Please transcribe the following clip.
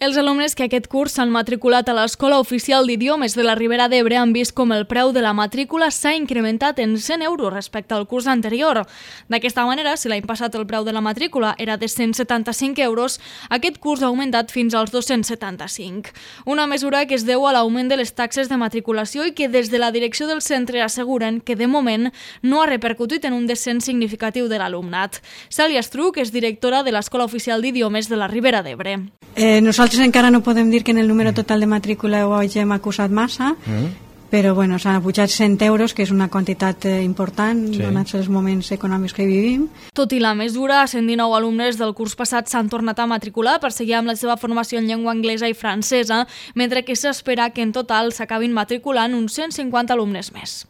Els alumnes que aquest curs s'han matriculat a l'Escola Oficial d'Idiomes de la Ribera d'Ebre han vist com el preu de la matrícula s'ha incrementat en 100 euros respecte al curs anterior. D'aquesta manera, si l'any passat el preu de la matrícula era de 175 euros, aquest curs ha augmentat fins als 275. Una mesura que es deu a l'augment de les taxes de matriculació i que des de la direcció del centre asseguren que de moment no ha repercutit en un descens significatiu de l'alumnat. Cèlia Estruch és directora de l'Escola Oficial d'Idiomes de la Ribera d'Ebre. Nosaltres encara no podem dir que en el número total de matrícula ho hàgim acusat massa, però bueno, s'han pujat 100 euros, que és una quantitat important, donats els moments econòmics que vivim. Tot i la mesura, 119 alumnes del curs passat s'han tornat a matricular per seguir amb la seva formació en llengua anglesa i francesa, mentre que s'espera que en total s'acabin matriculant uns 150 alumnes més.